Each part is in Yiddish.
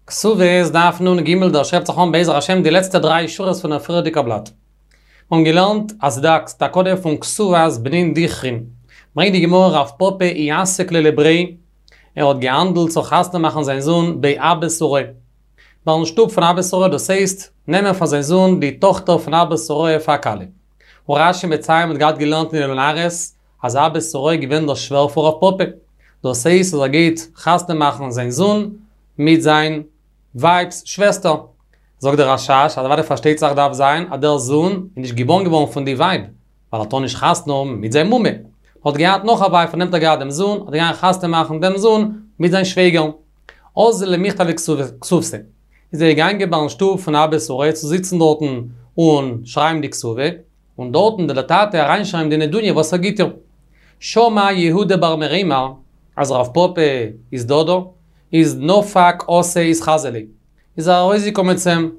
כתובות דף נ"ג דא שרייבט זיך אן בעזר השם די לעצטע דריי שורות פון דער פריערדיגער בלאט. מיר האבן געלערנט אז ס'דא א תקנה פון כתובת בנין דכרין. ברענגט די גמרא רב פפא איעסק ליה לבריה, ער האט געהאנדלט צו חתונה מאכן זיין זון בי אבא סוראה. ביים שטוב פון אבא סוראה דאס הייסט, נעמען פאר זיין זון די טאכטער פון אבא סוראה פאר א כלה. און רש"י מציין מ'האט געהאט געלערנט אין אלו נהרות אז אבא סוראה איז געווען דער שווער פון רב פפא. דאס הייסט אז ער גייט חתונה מאכן זיין זון מיט זיין ווייב'ס שוועסטער. זאגט דער רשש אז אוודאי פארשטייט זיך דארף זיין אז דער זון איז נישט געבארן געווארן פון די ווייב, ווייל ער טאר נישט חתונה האבן מיט זיין מומע. האט געהאט נאך א ווייב פון דעם האט ער געהאט דעם זון, האט ער געגאנגען חתונה מאכן דעם זון מיט זיין שוועגער. אזל למיכתב כתובתיה. איז ער געגאנגען ביים שטוב פון אבא סוראה צו זיצן דארטן און שרייבן די כתובה, און דארטן וועט דער טאטע אריינשרייבן די נדוניה וואס ער גיט איר. שמע יהודה בר מרימר אז רב פפא איז דא דא, איז נפק אתא אתחזי ליה. איז ער ארויסגעקומען צו אים.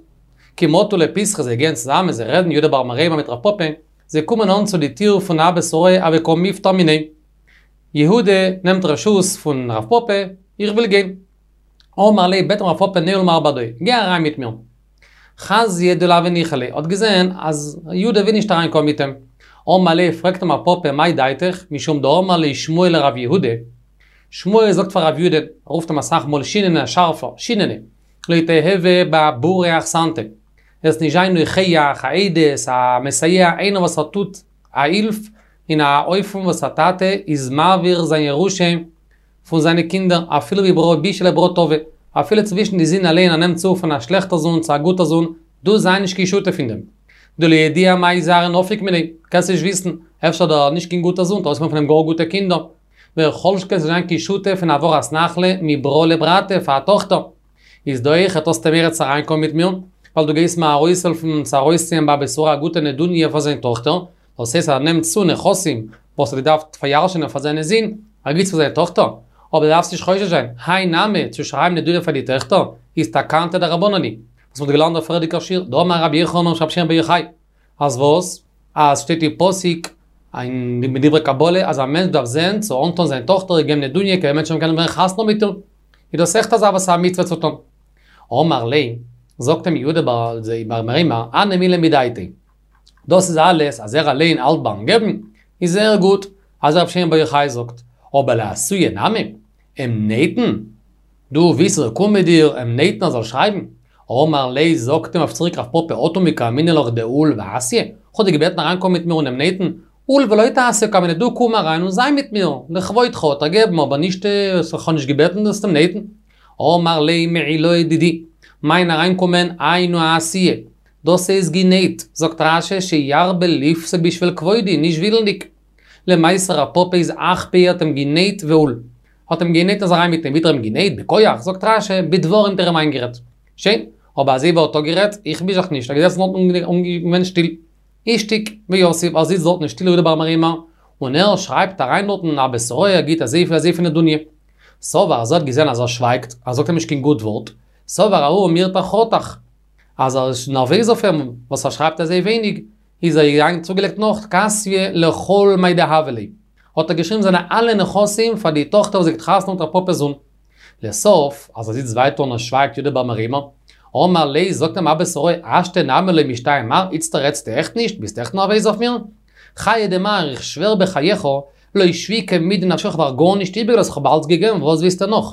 כי מטו לפתחא זיי גייען צוזאמען זיי רעדן יהודה בר מרימר מיט רב פפא, זיי קומען אן צו די טיר פון אבא סוראה הוה קא מיפטר מיניה. יהודה נעמט רשות פון רב פפא, איך וויל גיין. אמר ליה בעט אים רב פפא ניעול מר בהדאי, גיי אריין מיט מיר. חזייה דלא הוה ניחא ליה, האט געזען אז יהודה וויל נישט אריין קומען מיט אים. אמר ליה פרעגט אים רב פפא מאי דעתיך, משום דאמר ליה שמואל לרב יהודה, שמואל זאגט פאר רב יהודה, ער רופט אים אסאך מאל שיננא שארפער, שיננא, לא תיהוי בעבורי אחסנתא, זאלסט נישט זיין נוכח, א עדות, א מסייע, איינער וואס ער טוט א הילף אין א אופן וואס א טאטע איז מעביר זיין ירושה פון זיינע קינדער, אפילו מברא בישא לברא טבא, אפילו צווישן די זין אליין ער נעמט צו פון א שלעכטער זון צו א גוטער זון, דו זיי נישט קיין שותף אין דעם. דלא ידיע מאי זרעיה נפיק מיניה, קענסט נישט וויסן, אפשר דער נישט קיין גוטער זון וועט ארויסקומען פון אים גאר גוטע קינדער. וכל שכן זאלסט זיין קיין שותף אין העברת נחלה מברא לברתא פאר א טאכטער. איז דא אויכעט האסטו מורא צו אריינקומען מיט מיר, ווייל דו גייסט מיר ארויסהעלפן צו ארויסציען ביי אבא סוראה א גוטע נדוניה פאר זיין טאכטער, דאס הייסט אז ער נעמט צו נכסים וואס ער האט געדארפט פאריארשענען פאר זיינע זין, ער גיבט פאר זיין טאכטער. אבער דו דארפסט נישט חושש זיין, האי נמי, צו שרייבן נדוניה פאר די טעכטער, איז תקנתא דרבנן היא. וואס מ'האט געלערנט דער פריערדיגער שיעור, דאמר רבי יוחנן משום רבי שמעון בר יוחאי. אז וואס? אז שטייט אין פסוק אין מדברי קבלה אז א מענטש דארף זען צו אנטון זיין טאכטער איר געבן נדוניה כדי מענטשן זאלן קענען ווערן חתונה מיט איר. איז דאס עכט אזא וואס א מצוה צו טון. אמר ליה, זאגט אים יהודה בר מרימר, הני מילי מדעתיה. דאס איז אלעס אז ער אליין האלט ביים געבן, איז זייער גוט, אזוי רבי שמעון בר יוחאי זאגט. אבער לאתויי נמי, אים נייטן? דו ווילסט ער זאל קומען מיט דיר אים נייטן ער זאל שרייבן? אמר ליה זאגט אים אויף צוריק רב פפא אטו מי קאמינא לך דעול ואתיי, כ'האב דיר געבעטן אריינקומען מיט מיר און אים נייטן, עול ולא תעשה קאמינא דו קום אריין און זיי מיט מיר, לכבודך האט ער געבן אבער נישט כ'האב נישט געבעטן זאלסט אים נייטן. אמר ליה מעילאי דידי, מיין אריינקומען היינו אתייה, דאס איז גענייט, זאגט רש"י שירבה לפסוק בשביל כבודי, נישט ווילנדיג. למעשה רב פפא איז אחפיה האט אים גענייט ועול. האט אים גענייט איז אריין מיט אים, ווי האט ער אים גענייט? בכח? זאגט רש"י, בדברים האט ער אים איינגערעדט. שוין, אבער אזוי ווי ער האט אפגערעדט, איך מיש זיך נישט, ער איז געזעצן דארטן און געווען שטיל. אישתיק ויתיב, ער זיצט דארטן שטיל יהודה בר מרימר, און ער שרייבט אריין דארטן אבא סוראה ער גיט אזויפיל אזויפיל נדוניה. סבר אז ער האט געזען אז ער שווייגט, ער זאגט אים נישט קיין גוט ווארט, סבר ההוא מירתח חתך, אז ער איז נערוועז אויף אים וואס ער שרייבט אזוי ווייניג, איז ער געגאנגען צוגעלייגט נאך כתביה לכל מאי דהוה ליה. האט ער געשריבן זיינע אלע נכסים פאר די טאכטער וואס גייט חתונה מיט רב פפא'ס זון. לסוף, אז ער זיצט ווייטער און ער שווייגט יהודה בר מרימר, אמר ליה זאגט אים אבא סוראה השתא נמי לא משתעי מר, איצטער רעדסטו עכט נישט? ביסט עכט נערוועז אויף מיר? חיי דמר, איך שווער בחייך, לא שביקה מידי נפשך כ'האב דיר גארנישט איבערגעלאזט כ'האב אלץ געגעבן וואס ווילסטו נאך?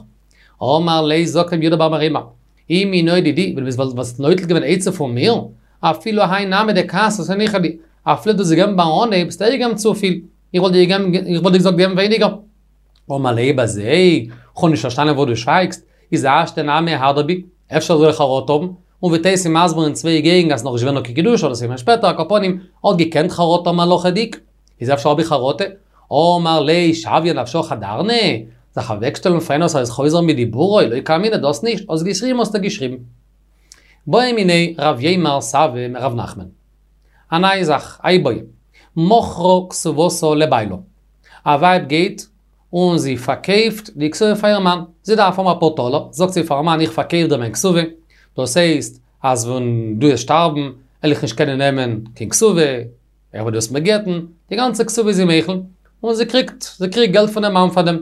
אמר ליה זאגט אים יהודה בר מרימר, אי מינאי דידי, ווען דו וואלסט נוטל געווען עצה פון מיר, אפילו האי נמי דכתבת ניחא לי, אפילו דו האסט געגעבן ביים אנהייב, האסטו אויך געגעבן צופיל, איך וואלט דיר געגעבן, איך וואלט דיר געזאגט געבן ווייניגער. אמר ליה אויב אזוי, כ'האב נישט פארשטאנען וואס דו שווייגסט, איז השתא נמי אהדר בי, אפשר זאל איך חרטה האבן, און ווי תוס' איז מסביר אין צוויי געגנט אז נאך נישט געווען נאר קיין קידושין אדער ס'איז געווען שפעטער, על כל פנים, האט געקענט חרטה האבן הלכה'דיג, איז אפשר האב איך חרטה? אמר ליה שויה נפשך אדרנא, זיך אוועקשטעלן פאר איינער וואס איז חוזר מדיבורו, לא קאמינא דאס נישט, האסט געשריבן האסטו געשריבן. בעא מיניה רב יימר סבא מרב נחמן. א נייע זאך, א איבעיא. מכרה כתובתה לבעלה. א ווייב גייט און זי פארקויפט די כתובה פאר איר מאן. זי דארף האבן אפאר טאלער, זאגט זי פארן מאן איך פארקויף דיר מיין כתובה. דאס הייסט אז ווען דו וועסט שטארבן וועל איך נישט קענען נעמען קיין כתובה, איך וועל דאס מיר גט'ן, די גאנצע כתובה איז זי מוחל, און זי קריגט, זי קריגט געלט פונעם מאן פאר דעם.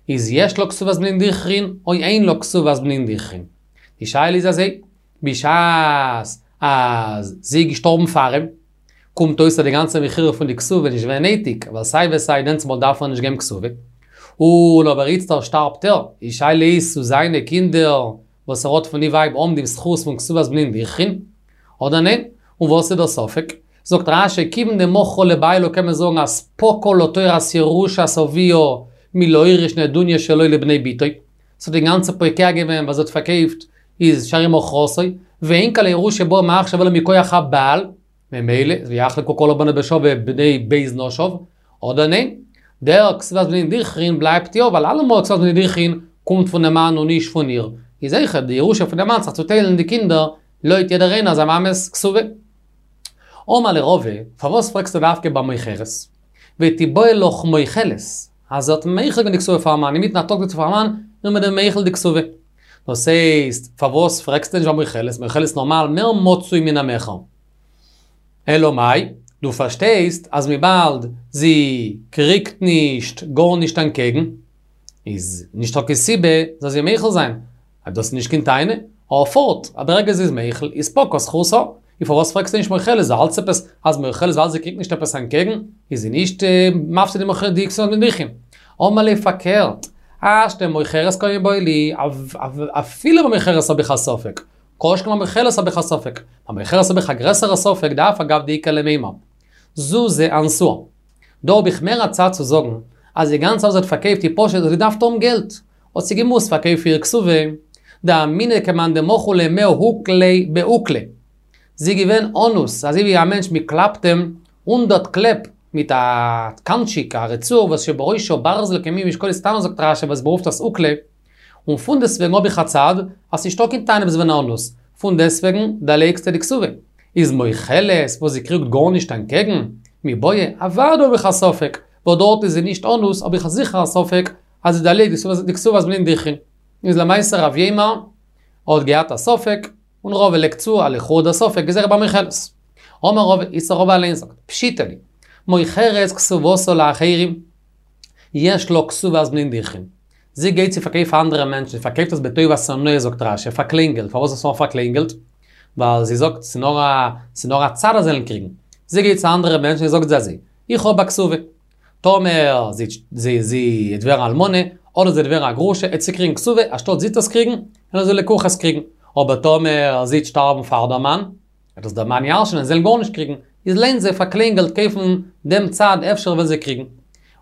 איז יש לה כתובת בנין דכרין או אין לה כתובת בנין דכרין. די שאלה איז אזוי, בשעת אז זי איז געשטארבן פאר אים, קומט אויס אז די גאנצע מכירה פון די כתובה איז נישט געווען נעטיג, ווייל סיי ווי סיי דענסמאל דארף ער נישט געבן כתובה. און אבער איצטער שטארבט ער, די שאלה איז צו זיינע קינדער וואס ער האט פון די ווייב האבן דעם זכות פון כתובת בנין דכרין, אדער ניין? און וואס איז דער ספק? זאגט רש"י כיוון דמכרה לבעלה קען מען זאגן אז פקעה לה תורת ירושת אביה מלהוריש נדוניה שלו לבני בתו, ס'האט אינגאנצן פוקע געווען וואס זי האט פארקויפט איז שהרי מכרתו, ואין כל הירושה באה מעכשיו אלא מכח הבעל, ממילא ויחלקו כל הבנים בשווה בני ב' נשיו, אדער ניין? דער כתובת בנין דכרין בלייבט יא ווייל אלעמאל כתובת בנין דכרין קומט פונעם מאן און נישט פון איר, איז אויכעט די ירושה פונעם מאן זיך צוטיילן די קינדער לויט יעדער איינער זיין מאמע'ס כתובה. אמר ליה רבא, פארוואס פרעגסטו דווקא ביי מוכרת? ותיבעי לך מוחלת, אז זי האט מוחל געווען די כתובה פארן מאן, אינמיטן א טאג זאגט זי פארן מאן, איך בין דיר מוחל די כתובה. דאס הייסט, פארוואס פרעגסטו נישט ביי מוחלת? מוחלת נארמאל מער מצוי מן המכר. אלא מאי, דו פארשטייסט אז וויבאלד זי קריגט נישט גארנישט אנטקעגן, איז נישטא קיין סיבה זאל זי מוחל זיין. אז דאס איז נישט קיין טענה, אבער פארט, אז ברגע זי איז מוחל, איז פקעה זכותה. און פארוואס פרעגסטו נישט מוחלת? האלטסט עפעס אז מוחלת ווייל זי קריגט נישט עפעס אנטקעגן, איז זי נישט מפסיד די כתובת בנין דכרין. אמר ליה פארקערט, השתא מוכרת קא מיבעיא לי, אפילו ביי מוכרת האב איך א ספק, כל שכן ביי מוחלת האב איך א ספק, ביי מוכרת האב איך א גרעסערע ספק דאף על גב דאיכא למימר. זוזי אנסוה. דא האב איך מער א צד צו זאגן אז די גאנצע וואס זי האט פארקויפט איז פשוט זי האט געדארפט האבן געלט, האט זי געמוזט פארקויפן איר כתובה, דאמינא כמאן דמכרו ליה מאה אוקלי באוקלא. זי איז געווען אנוס, אזוי ווי א מענטש מ'קלאפט אים הונדערט קלעפ מיט א קאנטשיק, א רצועה וואס שבראשה ברזל כמין משקולת קטנה זאגט רש"י וואס מ'רופט עס אוקלא, און פונדעסטוועגן האב איך א צד אז ס'נישטא קיין טענה ביסט געווען אנוס, פונדעסטוועגן דערלייגסטו די כתובה. איז מוחלת וואס זי קריגט גארנישט אנטקעגן? מיבעיא, אוודאי האב איך א ספק, ווייל דארט איז זי נישט אנוס האב איך זיכער א ספק אז זי דערלייגט די כתובת בנין דכרין. איז למעשה רב יימר האט געהאט א ספק, און רבא לייגט צו אז לכאורה דער ספק איז אויך ביי מוחלת. אמר רבא, איצטער רבא אליין זאגט, פשיטא לי, מוכרת כתובתה לאחרים, יש לה כתובת בנין דכרין. זי גייט צו פארקויפן פאר אנדערע מענטשן, זי פארקויפט עס בטובת הנאה זאגט רש"י, פאר קליינגעלט, פארוואס איז עס נאר פאר קליינגעלט? ווייל זי זאגט ס'איז נאר א, ס'איז נאר א צד אז זיי זאלן קריגן. זי גייט צו אנדערע מענטשן און זאגט זיי אזוי, איך האב א כתובה. טאמער זי זי זי וועט ווערן אלמנה, אדער זי וועט ווערן א גרושה, עט זי קריגן כתובה, אנשטאט זי עט עס קריגן, וועלן די לקוחות קריגן. אבער טאמער זי וועט שטארבן פאר דער מאן, וועט עס דער מאן ירש'נען און זיי וועלן גארנישט קריגן. איז לוינט זיי פאר קליינגעלט קויפן דעם צד אפשר וועלן זיי קריגן.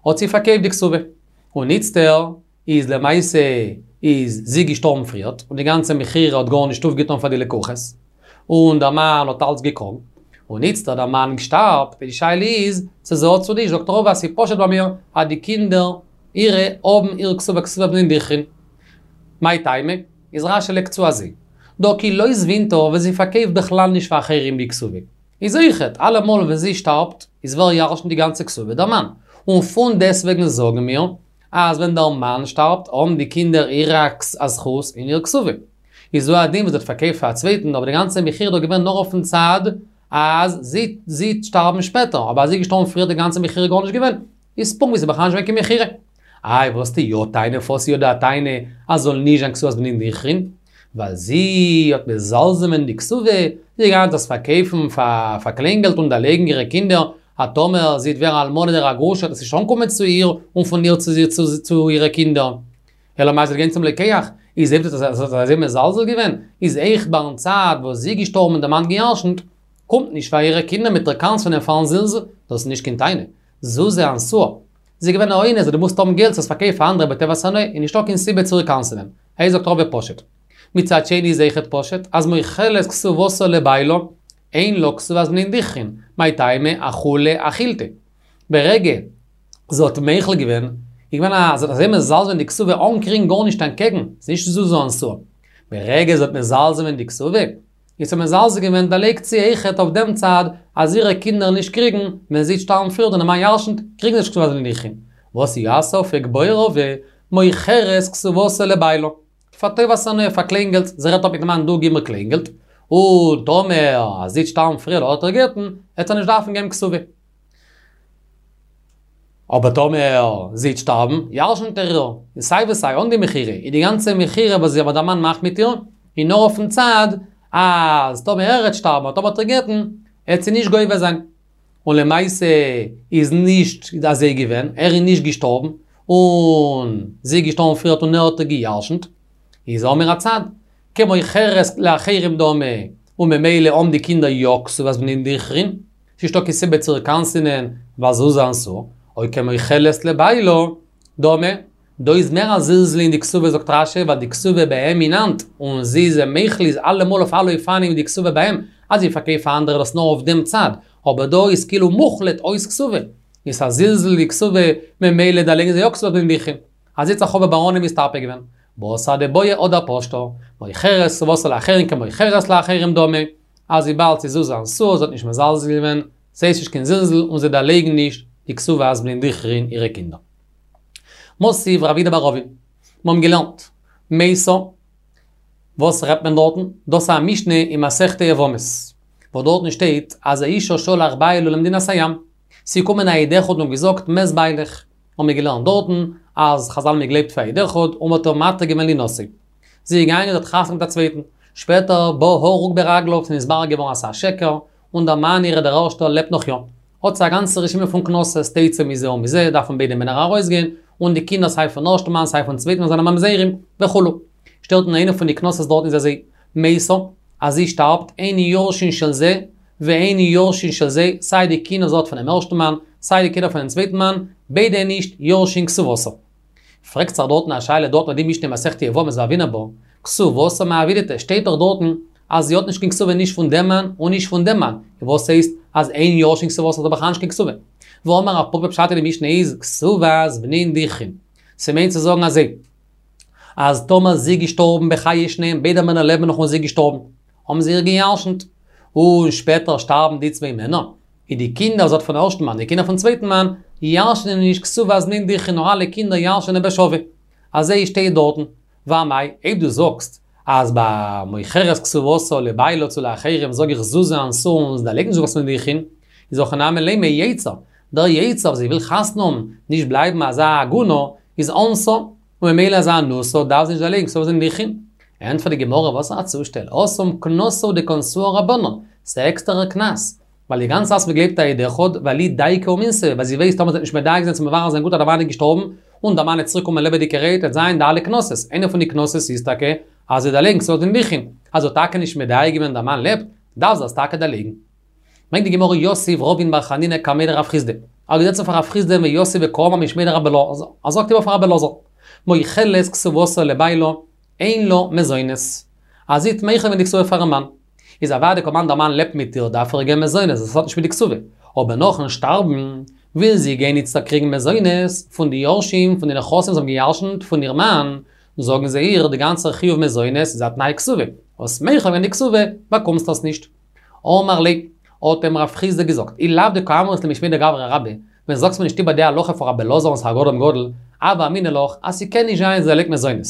האט זי פארקויפט די כתובה. און איצטער איז למעשה איז זי געשטארבן פריערט, און די גאנצע מכירה האט גארנישט אויפגעטון פאר די לקוחות, און דער מאן האט אלץ געקראגן, און איצטער דער מאן שטארבט, די שאלה איז צו זי האט צו נישט, זאגט רבא אז ס'איז פשוט ביי מיר אז די קינדער אירע האבן איר כתובה כתובת בנין דכרין. מאי טעמא? איז רש"י לייגט צו אזוי, דהא כי לא זבינתה ווען זי פארקויפט בכלל נישט פאר אחרים די כתובה. איז אויכעט, אלעמאל ווען זי שטארבט, איז ווער ירש'נט די גאנצע כתובה? דער מאן. און פון דעסטוועגן זאגן מיר, אז ווען דער מאן שטארבט האבן די קינדער אירע א זכות אין איר כתובה. איז הוא הדין וואס זי האט פארקויפט פאר א צווייטן, אבער די גאנצע מכירה איז דאך געווען נאר אויפן צד אז זי זי וועט שטארבן שפעטער, אבער אז זי איז געשטארבן פריער די גאנצע מכירה גארנישט געווען, איז פונקט ווי ס'איז בכלל נישט געווען קיין מכירה. איי וואס די יא טענה פארוואס יא די טענה אז זאל נישט זיין כתובת בנין דכרין? ווייל זי האט מזלזל געווען די כתובה, זי גייט עס פארקויפן פאר פאר קליינגעלט און דערלייגן אירע קינדער, אז טאמער זי וועט ווערן אלמנה אדער א גרושה וועט עס נישט אנקומען צו איר און פון איר צו צו אירע קינדער. אלא מאי זי וועט גיין צום לוקח, איז אויב זי האט אזוי מזלזל געווען, איז אויך ביים צד וואס זי געשטארבן און דער מאן געירשנט, קומט נישט פאר אירע קינדער מיט איר קנס'ענען פארן זלזול, דאס איז נישט קיין טענה. זוזי אנסוה. זי איז געווען א אונס, זי האט געמוזט האבן געלט צו עס פארקויפן פאר אנדערע בטובת הנאה, איז נישטא קיין סיבה צו איר קנס'ענען. אזוי זאגט רבא פשוט. מצד שני איז אויכעט פשוט, אז מוחלת כתובתה לבעלה, אין לה כתובת בנין דכרין, מאי טעמא אחולי אחילתיה. ברגע זי האט מוחל געווען, איז געווען א, זי האט אזוי מזלזל געווען די כתובה אן קריגן גארנישט אנטקעגן, ס'איז נישט זוזי אנסוה. ברגע זי האט מזלזל געווען די כתובה, איז זי מזלזל געווען דערלייגט זי אויכעט אויף דעם צד אז אירע קינדער נישט קריגן, ווען זי וועט שטארבן פריער און דער מאן ירשנט, קריגן זיי נישט כתובת בנין דכרין. וואס איז יא א ספק בעי רבא, מוכרת כתובתה לבעלה. פאר טובת הנאה, פאר קליינגעלט, זי רעדט אפ מיטן מאן דו גיב מיר קליינגעלט, און טאמער אז זי וועט שטארבן פריער אדער איר גט'ן, וועט ער נישט דארפן געבן כתובה. אבער טאמער זי וועט שטארבן, ירשנט ער איר, און סיי ווי סיי אן די מכירה, איז די גאנצע מכירה וואס זי וואס דער מאן מאכט מיט איר, איז נאר אויפן צד אז טאמער ער העט שטארבן אדער טאמער ער העט איר גט'ן, העט זי נישט גובה זיין. און למעשה איז נישט אזוי געווען, ער איז נישט געשטארבן, און זי איז געשטארבן פריערט און ער האט איר גע'ירש'נט, איז האמיר א צד, כמוכרת לאחרים דמי, און ממילא האבן די קינדער יא כתובת בנין דכרין, ס'נישטא קיין סיבה צו איר קנס'ענען ווייל זוזי אנסוה, או כמוחלת לבעלה דמי, דא איז מער א זלזול אין די כתובה זאגט רש"י ווייל די כתובה ביי אים אין האנט, און זי איז אים מוחל איז אלעמאל אויף אלע אופנים די כתובה ביי אים, אז זי פארקויפט פאר אנדערע דאס נאר אויף דעם צד, אבער דא איז כאילו מוחלט אויס כתובה, איז א זלזול אין די כתובה ממילא דערלייגן זיי יא כתובת בנין דכרין. אזוי האט זיך רבא בר ענן מסתפק געווען. בתר דבעיא הדר פשטה, מוכרת כתובתה לאחרים כמוכרת לאחרים דמי, אז וויבאלד ס'איז זוזי אנסוה זי האט נישט מזלזל געווען, ס'הייסט נישט קיין זלזול און זיי דערלייגן נישט די כתובת בנין דכרין אירע קינדער. מתיב רב יהודה בר אבין, מיר האבן געלערנט, מתה, וואס רעדט מען דארטן? דאס איז א משנה אין מסכת יבמות, וואס דארטן שטייט אז האשה שלח בעלה למדינת הים, ס'איז געקומען א עד אחד און געזאגט מת בעלך, האבן מיר געלערנט דארטן אז חזל האבן געגלייבט פאר עד אחד און מ'האט איר מתיר געווען לינשא. זי איז געגאנגען זי האט חתונה מיט א צווייטן, שפעטער בא הרוג ברגליו ס'איז נתברר געווארן אז ס'איז א שקר, און דער מאן אירע דער ערשטער לעבט נאך יא. האט זי א גאנצע רשימה פון קנסות, תצא מזה ומזה, דארפן ביידע מענער ארויסגיין, און די קינדער סיי פון ערשטן מאן סיי פון צווייטן מאן זענען ממזרים, וכו'. שטייט אין איינע פון די קנסות דארטן איז אזוי, מתה, אז זי שטארבט, אין יורשין של זה, ואין יורשין של זה, סיי די קינדער זי האט פונעם ערשטן מאן, סיי די קינדער פונעם צווייטן מאן, ביידע נישט יורשין כתובתה. פרעגט זיך דארטן א שאלה דארטן אויף די משנה מסכת יבמות והוינן בה, כתובתה מאי עבידתיה, שטייט דאך דארטן אז זי האט נישט קיין כתובה נישט פון דעם מאן און נישט פון דעם מאן, וואס הייסט אז אין יורשין כתובתה האט זי בכלל נישט קיין כתובה? והאמר רב פפא פשט אין די משנה איז כתובת בנין דכרין. ס'מיינט צו זאגן אזוי, אז טאמער זי געשטארבן בחיי שניהם ביידע מענער לעבן נאך און זי געשטארבן, האבן זיי איר געירשנט, און שפעטער שטארבן די צוויי מענער, איז די קינדער זי האט פון ערשטן מאן, די קינדער פון צווייטן מאן, ירש'נען נישט כתובת בנין דכרין נאר אלע קינדער ירש'נען בשווה. אזוי שטייט דארטן. ואמאי, אויב דו זאגסט אז ביי מוכרת כתובתה לבעלה צו לאחרים זאג איך זוזי אנסוה און זיי דערלייגן נישט כתובת בנין דכרין, איז הכא נמי לימא יצר, דער יצר וואס זי וויל חתונה האבן, נישט בלייבן אזא עגונה, איז אנסה, און ממילא אז אנוסה דארף זי נישט דערלייגן כתובת בנין דכרין. ענטפערט די גמרא וואס א צושטעל, התם קנסא הוא דקנסוה רבנן, ס'איז א עקסטערער קנס, ווייל די גאנצע זאך מ'גלייבט א עד אחד, ווייל אי דייקא ומינסבא, ווייל זי ווייסט טאמער זי וועט נישט מדייק זיין צו מברר זיין גוט אז דער מאן איז געשטארבן, און דער מאן וועט צוריק קומען לעבעדיגערהייט וועט זיין די אלע קנסות, איינע פון די קנסות איז טאקע אז זי דערלייגן כתובת בנין דכרין, אז זי האט טאקע נישט מדייק געווען דער מאן לעבט, דארף זי עס טאקע דערלייגן. ברענגט די גמרא יתיב רבין בר חנינא קמיה דרב חסדא, ער האט געזעצן פאר רב חסדא ויתיב וקאמר משמיה דרבי אלעזר, ער זאגט איבער פאר רבי אלעזר, מוחלת כתובתה לבעלה, אין לה מזונות. אז זי האט מוחל געווען די כתובה פארן מאן. איז אוודאי כל זמן דער מאן לעבט מיט איר דארף ער איר געבן מזונות, דאס האט נישט מיט די כתובה. אבער נאכן שטארבן, וויל זי גיין איצטער קריגן מזונות פון די יורשים פון די נכסים וואס האבן געירשנט פון איר מאן, זאגן זיי איר די גאנצע חיוב מזונות איז א תנאי כתובה, האסט מוחל געווען די כתובה, באקומסט עס נישט. אמר ליה, האט אים רב חסדא געזאגט, אי לאו דקאמרת ליה משמיה דגברא רבה, ווען זאגסט מיר נישט איבער די הלכה פון רבי אלעזר וואס איז אדם גדול, הוה אמינא לך אז ס'קען נישט זיין אז זי דערלייגט מזונות.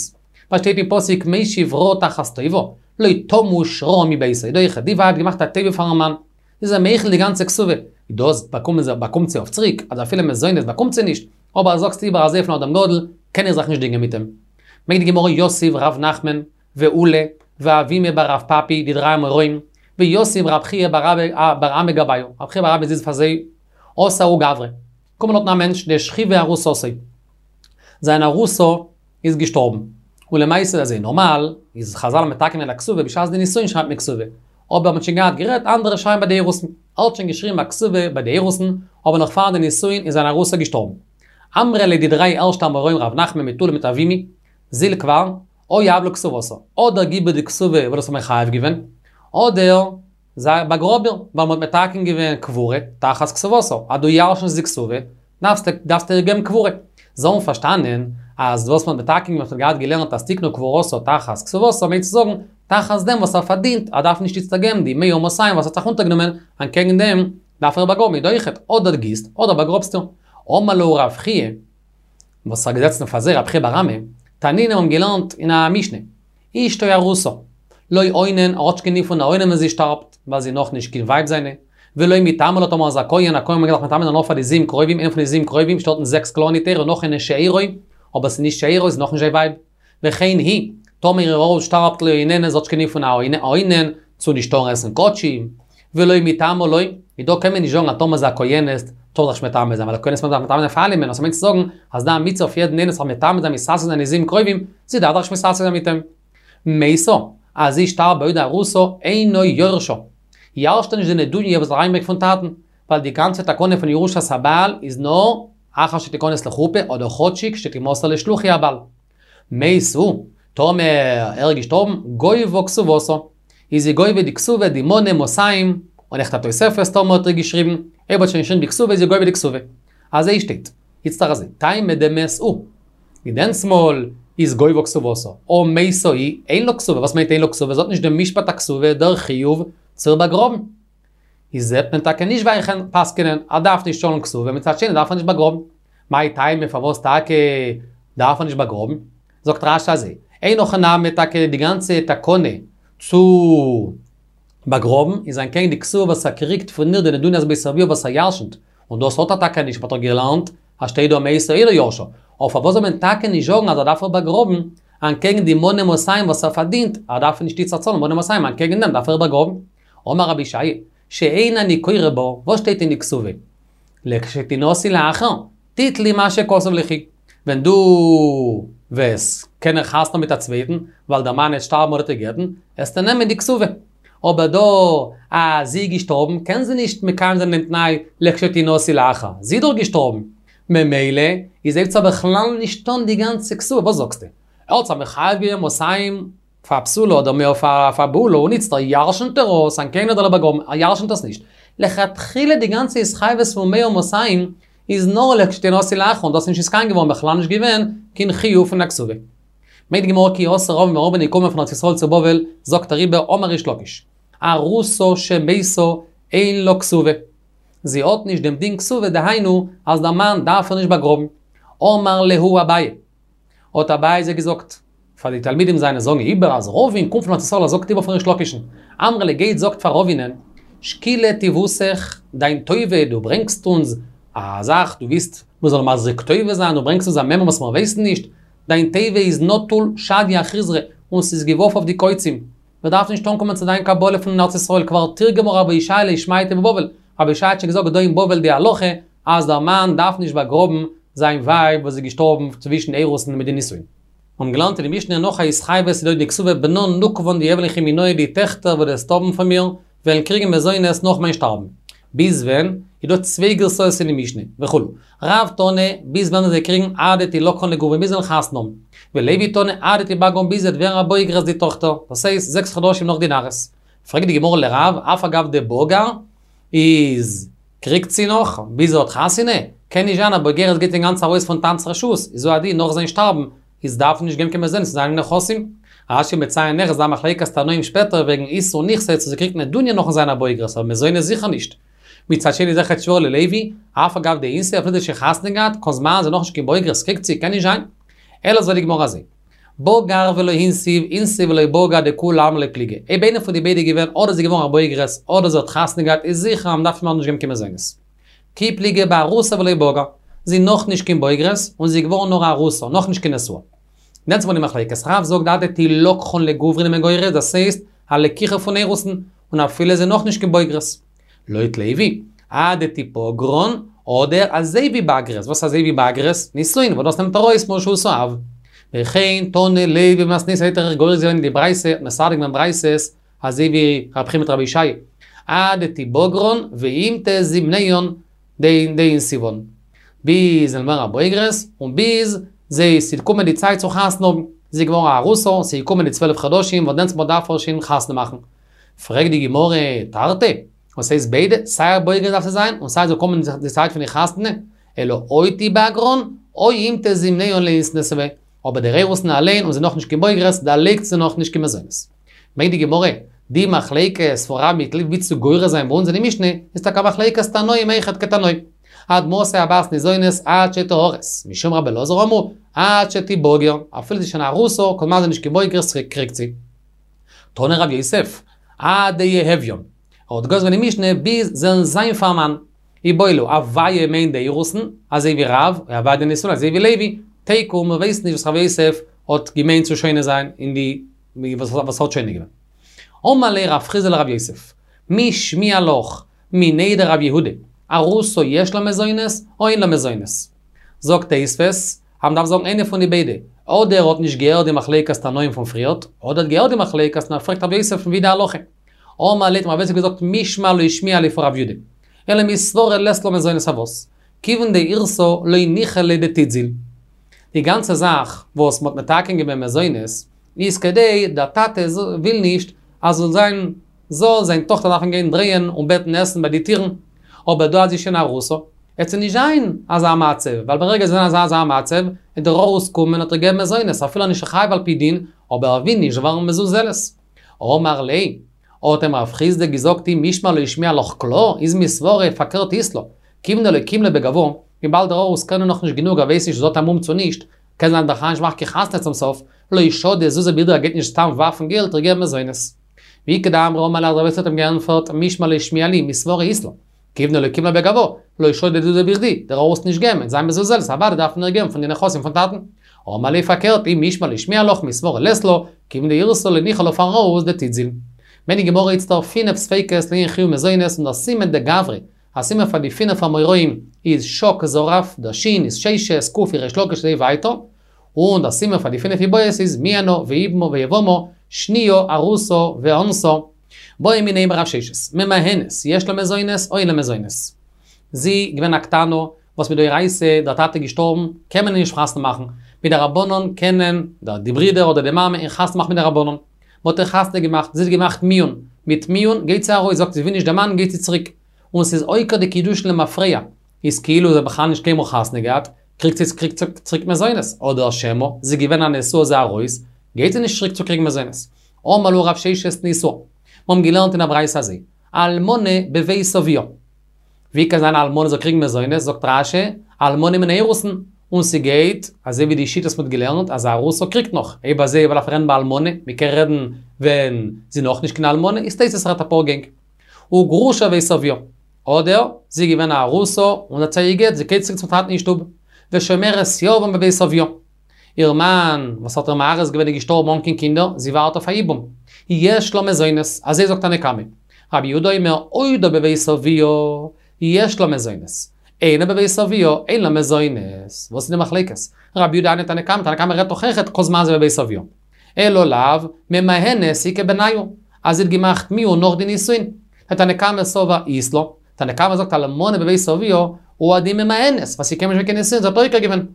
ווייל שטייט אין פסוק משיב רעה תחת טובה, לא תמוש רעה מביתו, דא אויכעט, די ווייב האט געמאכט א טובה פארן מאן, זי איז אים מוחל די גאנצע כתובה, דאס באקומט זי אויף צוריק, אז אפילו מזונות באקומט זי נישט, אבער אז זאגסט איבער אזוי פון אדם גדול, קען איך זיך נישט דינגען מיט אים. ברענגט די גמרא יתיב ר' נחמן, ועולא, ואבימי בר רב פפי, די דריי אמוראים, ויתיב רב חייא בר אמי גבייהו, רב חייא בר אבא זיצט פאר זיי, אתא ההוא גברא, קומען דארטן א מענטש דשכיבה ארוסתו, זיין ארוסה איז געשטארבן, און למעשה אזוי נארמאל, איז חזל האבן מתקן געווען א כתובה בשעת די נישואין שרייבט מען כתובה, אבער מ'האט שוין געהאט גערעדט אנדערע שרייבן ביי די אירוסין, ער האט שוין געשריבן א כתובה ביי די אירוסין, אבער נאך פאר די נישואין איז זיין ארוסה געשטארבן. אמרי ליה די דריי ערשטע אמוראים רב נחמן מיט עולא מיט אבימי, זיל כבר, או יהב לה כתובתה, אדער גיב איר די כתובה וואס האסט מחייב געווען, אדער זיי באגראב איר, ווייל מ'האט מתקן געווען קבורה תחת כתובתה, אז דו ירש'נסט די כתובה, דארפסטו דארפסטו איר געבן קבורה. זיי האבן פארשטאנען אז וואס מ'האט מתקן געווען וואס מ'האט געהאט געלערנט אז תקנו קבורתה תחת כתובתה מיינט צו זאגן, תחת דעם וואס ער פארדינט, ער דארף נישט איצטער געבן די מאה ומאתים וואס ער האט זיך אונטערגענומען, אנטקעגן דעם דארף ער באגראבן איז דא אויכעט, אדער גיסט, אדער באגראבסט איר. אמר להו רב חייא, וואס האט געזעצן פאר זיי רב חייא בר אמי, תנינא האבן געלערנט אין א משנה, אשתו ארוסה, לא אונן, ער האט נישט קיין דין פון א אונן ווען זי שטארבט, ווייל זי איז נאך נישט קיין ווייב זיינע, ולא מיטמא לה טאמער איז א כהן, א כהן מעג דאך מטמא זיין נאר פאר די זיבן קרובים, איינער פון די זיבן קרובים שטייט אין זעקס קלאר אין די תורה נאך איינער שארו, אבער ס'איז נישט שארו, איז נאך נישט זיין ווייב. וכן היא, טאמער איר האר שטארבט לא אוננת, זי האט נישט קיין דין פון א אונן, צו נישט טארן עסן קדשים, ולא מיטמאה לא, איז דא קען מען נישט זאגן אז טאמער זי א כהנת טאר זיך נישט מטמא זיין, ווייל א כהנת מעג זיך מטמא זיין פאר אלעמען, נאר ס'מיינט צו זאגן אז דא א מצוה אויף יעדן איינעם זיך מטמא זיין מתעסק זיין נזים קרובים, זי דארף זיך נישט מתעסק זיין מיט אים. מתה, אז זי שטארבט בעודה ארוסה אינו יורשה. ירש'ט ער נישט די נדוניה וואס זי האט אריינגעברענגט פון טאטן, ווייל די גאנצע תקנה פון ירושת הבעל איז נאר אחר שתיכנס לחופה אדער כאטשיג שתימסר לשלוחי הבעל. מת הוא, טאמער ער איז געשטארבן, גובה כתובתה, איז זי גובה די כתובה די מנה מאתים, און אויכעט א תוספת טאמער האט ער געשריבן, אויב האט שוין געשריבן די כתובה איז זי גובה די כתובה. אזוי שטייט. איצטער אזוי, טעמא דמת הוא. ווי דענסמאל איז גובה כתובתה, הא מתה היא, אין לה כתובה, וואס מיינט אין לה כתובה? זי האט נישט דעם משפט הכתובה, דער חיוב צו איר באגראבן. איז זעט מען טאקע נישט ווי איך פסק'נען, ער דארף נישט צאלן כתובה, מצד שני דארף ער נישט באגראבן. מאי טעמא פארוואס טאקע דארף ער נישט באגראבן? זאגט רש"י אזוי, אין הכי נמי טאקע די גאנצע תקנה צו באגראבן איז אנטקעגן די כתובה וואס ער קריגט פון איר די נדוניית בית אביה וואס ער ירשנט, און דאס האט ער טאקע נישט, מ'האט דאך געלערנט אז שטייט דא מתה אינו יורשה, אבער פארוואס זאל מען טאקע נישט זאגן אז ער דארף איר באגראבן אנטקעגן די מנה מאתים וואס ער פארדינט, ער דארף נישט איצטער צאלן מנה מאתים אנטקעגן דעם דארף ער איר באגראבן. אמר רבי אושעיא, שאין אני קורא בה, וואס שטייט אין די כתובה? לכשתנשאי לאחר, תיטלי מה שכתוב ליכי. ווען דו וועסט קענען חתונה האבן מיט א צווייטן, ווייל דער מאן העט שטארבן אדער דיך גט'ן, העסטו נעמען די כתובה. אבער דא אז זי איז געשטארבן קען זי נישט מקיים זיין דעם תנאי לכשתנשאי לאחר, זי איז דאך געשטארבן. ממילא איז הייבט זיך בכלל נישט אן די גאנצע כתובה, וואס זאגסטו? ער האט זיך מחייב געווען מאתים פאר א בתולה אדער מאה פאר א בעולה און איצטער ירשנט ער עס, אנטקעגן דעם זאל ער באגראבן, ער ירשנט עס נישט. לכתחילה די גאנצע התחייבות פון מאה ומאתים איז נאר לכשתנשאי לאחר און דאס איז נישט נתקיים געווארן בכלל נישט געווען קיין חיוב פון א כתובה. ברענגט די גמרא כי אתא רבין ווען רבין איז געקומען פון ארץ ישראל צו בבל זאגט ער איבער אמר ריש לקיש ארוסה שמתה אין לה כתובה זי האט נישט דעם דין כתובה דהיינו אז דער מאן דארף איר נישט באגראבן אמר להו אביי האט אביי זיי געזאגט, פאר די תלמידים זיינע זאגן איבער אז רבין קומט פון ארץ ישראל ער זאגט איבער פון ריש לקיש'ן, אמרי ליה גייט זאגט פאר רבינ'ען, שקילה טיבותך, דיין טובה, דו ברענגסט אונז א זאך, דו ווילסט מיר זאלן מזריק טובה זיין, דו ברענגסט אונז א מימרא וואס מיר ווייסן נישט, דיין טובה איז נטול שדיא אחיזרי, און ס'איז געווארפן אויף די קוצים. מיר דארפן נישט אנקומען צו דיין קבלה פון ארץ ישראל, כבר תרגמה רבי אושעיא לשמעתיה בבבל, רבי אושעיא האט שוין געזאגט דא אין בבל די הלכה אז דער מאן דארף נישט באגראבן זיין ווייב וואס איז געשטארבן צווישן אירוסין מיט די נישואין. מיר האבן געלערנט אין די משנה נאך א התחייבות איז דא די כתובה בנן נוקבן דיהוון ליכי מינאי די טעכטער וואס דו וועסט האבן פון מיר וועלן קריגן מזונות נאך מיין שטארבן. ביז ווען? איז דא צוויי גירסאות אין די משנה, וכו'. רב תני, ביז ווען וועלן זיי קריגן עד דתילקחן לגוברין ביז זיי וועלן חתונה האבן. ולוי תני עד דתיבגרן ביז זי וועט ווערן א בוגרת די טאכטער, דאס הייסט זעקס חדשים נאך די נערות. פרעגט די גמרא לרב, אף על גב דבגר איז קריגט זי נאך ביז זי האט חתונה? קען נישט זיין א בוגרת גייט אינגאנצן ארויס פון טאטנ'ס רשות, איז הוא הדין נאך זיין שטארבן איז דארף נישט געבן קיין מזונות צו זיינע נכסים. רש"י מציין נאך איז דא מחלוקת תנאים שפעטער וועגן איסור נכסי צו זי קריגט נדוניה נאכן זיין א בוגרת אבער מזונות זיכער נישט. מצד שני איז אויכעט שווער ללוי, אף על גב דאיניסי אפילו זי האט שוין חתונה געהאט, כל זמן זי איז נאכנישט קיין בוגרת קריגט זי, קען נישט זיין. אלא זאגט די גמרא אזוי. בגר ולא הנסיב, הנסיב ולא בגר דכולי עלמא לא פליגי. אויב איינער פון די ביידע איז געווען אדער זי איז געווארן א בוגרת אדער זי האט חתונה געהאט איז זיכער אז מ'דארף מער נישט געבן קיין מזונות. כי פליגי בארוסה ולא בגר. זי איז נאך נישט קיין בוגרת און זי איז געווארן נאר א ארוסה, נאך נישט קיין נשואה. נעמט מען די מחלוקת רב זאגט עד דתילקחן לגוברין איז מען גורס דאס הייסט א לקיחה פון אירוסין און אפילו זי איז נאך נישט קיין בוגרת. לויט לוי, עד דתיבגרן, אדער אזוי ווי בגרות, וואס אזוי ווי בגרות? נישואין, וואס דאס נעמט ארויס מרשות האב. וכן תנא לוי במתניתא האט ער גורס געווען אין די ברייתא, מסדר געווען ברייתות, אזוי ווי רב חייא מיט רבי אושעיא. עד דתיבגרן ואימתי זימניהן דאינסיבן. ביז זיי וועלן ווערן א בוגרת, און ביז זיי ס'וועט קומען די צייט צו חתונה האבן. זי איז געווארן א ארוסה, ס'איז געקומען די צוועלף חדשים וואס דענסטמאל דארף ער שוין חתונה מאכן. פרעגט די גמרא, תרתי, וואס הייסט ביידע, סיי א בוגרת דארף זי זיין, און סיי זאל קומען די צייט פון די חתונה, אלא או תיבגרן, או אימתי זימניהן לאיתנסבא, אבער דער אירוסין אליין און זי נאכנישט קיין בוגרת, דערלייגט זי נאכנישט קיין מזונות. ברענגט די גמרא, די מחלוקת פון רב מיט לוי ווי צו גורס זיין ביי אונז אין די משנה, איז טאקע א מחלוקת תנאים אויכעט כתנאי. עד מתי הבת ניזונת עד שתארס, משום רבי אלעזר אמרו, עד שתיבגר, אפילו זי איז שוין ארוסה, כל זמן זי איז נישט קיין בוגרת קריגט זי. תני רב יוסף, עד דיהויין. ער האט גורס געווען די משנה ביז זיי וועלן זיין פאר א מאן. איבעיא להו, הויה מיינט די אירוסין, אזוי ווי רב, און הויה די נישואין אזוי ווי לוי, תיקו, מיר ווייסן נישט וואס רב יוסף האט געמיינט צו שונה זיין אין די וואס האט שונה געווען. אמר ליה רב חסדא לרב יוסף, מי שמיע לך מיניה דרב יהודה, ארוסה יש לה מזונות או אין לה מזונות? זאגט תוספות, אז מ'דארף זאגן איינע פון די ביידע, אדער ער האט נישט געהערט די מחלוקת תנאים פון פריערט, אדער האט געהערט די מחלוקת און ער פרעגט רב יוסף פון ווי די הלכה. אמר ליה האט אים רב יוסף געזאגט מישמע לא שמיע לי פון רב יהודה. אלא מסברא לית לה מזונות פארוואס? כיוון דאירסה לא ניחא ליה דתיתזיל. די גאנצע זאך וואס מ'האט מתקן געווען מזונות איז כדי דער טאטע וויל נישט אז זאל זיין זאל זיין טאכטער דארפן גיין דרייען און בעטן עסן ביי די טירן, אבער דא אז זי איז שוין ארוסה, עט זי נישט זיין אזא מצב, ווייל ברגע זי איז אין אזא מצב, וועט דער ארוס קומען און איר געבן מזונות, אפילו נישט חייב על פי דין, אבער ער וויל נישט ווערן מזוזלת. אמר ליה, האט אים רב חסדא געזאגט אי מישמע לא שמיע לך קלא, איז מסברא פארקערט אית לה, כיוון דלא קים ליה בגווה, וויבאלד דער ארוס קען איר נאכנישט גענוג ער ווייסט נישט צו זי האט א מום צו נישט, קען זיין בכלל נישט מאכן קיין חתונה צום סוף, לא שדי זוזי ברדיה ער גייט נישט סתם ווארפן געלט איר געבן מזונות. ואיכא דאמרי אמר ליה רב יוסף האט אים געענטפערט מישמע לא שמיע לי מסברא אית לה, כיוון דלא קים ליה בגווה, לא שדי זוזי ברדיה, דער ארוס נישט געבן, זיין מזוזלת, אוודאי דארף מען איר געבן פון די נכסים פון טאטן. אמר ליה פארקערט אי מישמע לא שמיע לך מסברא לית לה, כיוון דאירסה לא ניחא לה פארן ארוס דתיתזיל. ברענגט די גמרא איצטער פינף ספיקות לענין חיוב מזונות און דער סימן דגברא, א סימן פאר די פינף אמוראים איז שק זרף, דער שין איז ששת, קוף איז ריש לקיש אזוי ווייטער, און דער סימן פאר די פינף איבעיות איז מיאנה ויבמה ויבמה, שניה ארוסה ואנסה. בעו מיניה מרב ששת, ממאנת, יש לה מזונות או אין לה מזונות? זי געווען א קטנה, וואס מדאורייתא דער טאטע געשטארבן, קען מען איר נישט חתונה מאכן, מדרבנן קענען די ברידער אדער די מאמע איר חתונה מאכן מדרבנן. מ'האט איר חתונה געמאכט, זי האט געמאכט מיאון, מיט מיאון גייט זי ארויס, זאגט זי וויל נישט דעם מאן גייט זי צוריק, און ס'איז עוקר די קידושין למפרע, איז כאילו זי האט בכלל נישט קיינמאל חתונה געהאט, קריגט זי צוריק צוריק מזונות, אדער שמא, זי איז געווען א נשואה זי ארויס, גייט זי נישט צוריק צו קריגן מזונות. אמר להו רב ששת תניתוה. מיר האבן געלערנט אין א ברייתא אזוי, אלמנה בבית אביה. ווי קען זיין א אלמנה זאל קריגן מזונות, זאגט רש"י, אלמנה מן האירוסין, און ס'גייט, אזוי ווי די שיטות מ'האט געלערנט, אז א ארוסה קריגט נאך, אויב אזוי וועל איך רעדן ביי אלמנה, מ'קען רעדן ווען זי נאכנישט קיין אלמנה, איז תוס' רעדט אפאר גענג. וגרושה בבית אביה. אדער, זי איז געווען א ארוסה, און האט זיך גע'גט, זי גייט צוריק צום טאטן אין שטוב. ושומרת יבם בבית אביה. איר מאן, וואס האט איר מארס געווען איז געשטארבן אן קיין קינדער, זי ווארט אויף א יבום. יש לה מזונות, אזוי זאגט תנא קמא. רבי יהודה אומר, עודה בבית אביה, יש לה מזונות. אינה בבית אביה, אין לה מזונות. וואס איז די מחלוקת? רבי יהודה הני תנא קמא, תנא קמא רעדט דאך אויכעט כל זמן זי בבית אביה. אלא לאו, ממאנת איכא בינייהו, אז זי האט געמאכט מיאון נאך די נישואין. דתנא קמא סבר אית לה, תנא קמא זאגט אלמנה בבית אביה, הוא הדין ממאנת, ווייל ס'איז קיינמאל נישט געווען קיין נישואין, זי האט עוקר געווען.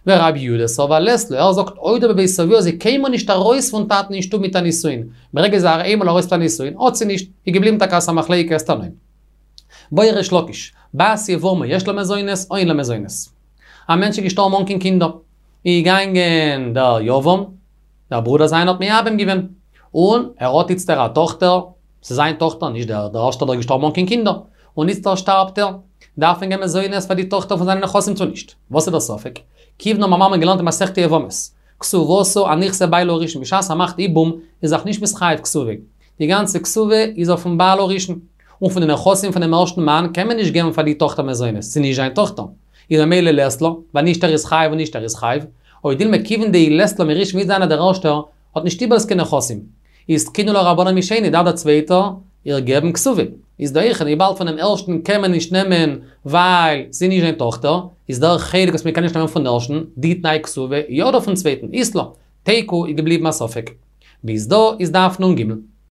ורבי יהודה סבר לית לה, ער זאגט עודה בבית אביה זי קיינמאל נישט ארויס פון טאטן אין שטוב מיט א נישואין, ברגע זי איז איינמאל ארויס מיט א נישואין האט זי נישט, איז געבליבן טאקע אזא מחלוקת תנאים. בעי ריש לקיש, בת יבמה יש לה מזונות או אין לה מזונות. א מענטש איז געשטארבן אן קיין קינדער, איז געגאנגען דער יבם, דער ברודער זיינער האט מייבם געווען, און ער האט איצטער א טאכטער, ס'איז זיין טאכטער, נישט דער דער ערשטער דער געשטארבן אן קיין קינדער, און איצטער שטארבט ער, דארף מען געבן מזונות פאר די טאכטער פון זיינע נכסים צו נישט? וואס איז דער ספק? כיוון האבן מיר געלערנט אין מסכת יבמות, כתובתה על נכסי בעלה הראשון, בשעת ער מאכט יבום איז זיך נישט מתחייב כתובה, די גאנצע כתובה איז אויפן בעל הראשון, און פון די נכסים פונעם ערשטן מאן קען מען נישט געבן פאר די טאכטער מזונות, ס'איז נישט זיין טאכטער, איז ממילא לית לה, ווייל נישט ער איז חייב און נישט ער איז חייב, או דילמא כיוון דאי לית לה מראשון וועט זיין אז דער ערשטער האט נישט איבער קיין נכסים, איז תקינו לה רבנן משני דארף דער צווייטער איר געבן כתובה, איז דא אויכעט וויבאלד פונעם ערשטן קען מען נישט נעמען ווייל ס'איז נישט זיין טאכטער, איז דער חלק וואס מען קען נישט נעמען פון ערשטן, די תנאי כתובה, יא דא פון צווייטן, אית לה, תיקו איז געבליבן א ספק. ביז דא איז דף נ"ג.